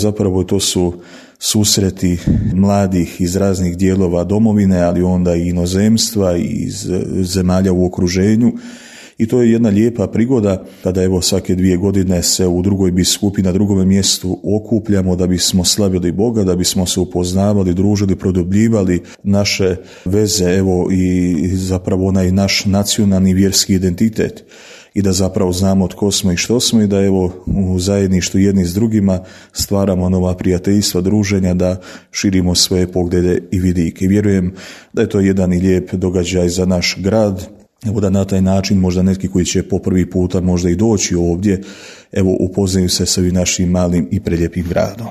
Zapravo to su susreti mladih iz raznih dijelova domovine, ali onda i inozemstva i iz zemalja u okruženju. I to je jedna lijepa prigoda kada evo svake 2 godine se u drugoj biskupi na drugome mjestu okupljamo da bismo slavili Boga, da bismo se upoznavali, družili, produbljivali naše veze, evo i zapravo onaj naš nacionalni vjerski identitet i da zapravo znamo tko smo i što smo i da evo u zajedništvu jedni s drugima stvaramo nova prijateljstva, druženja, da širimo svoje poglede i vidike. I vjerujem da je to jedan i lijep događaj za naš grad. Evo da na taj način možda neki koji će po prvi puta možda i doći ovdje, evo upoznaju se sa ovim našim malim i prelijepim gradom.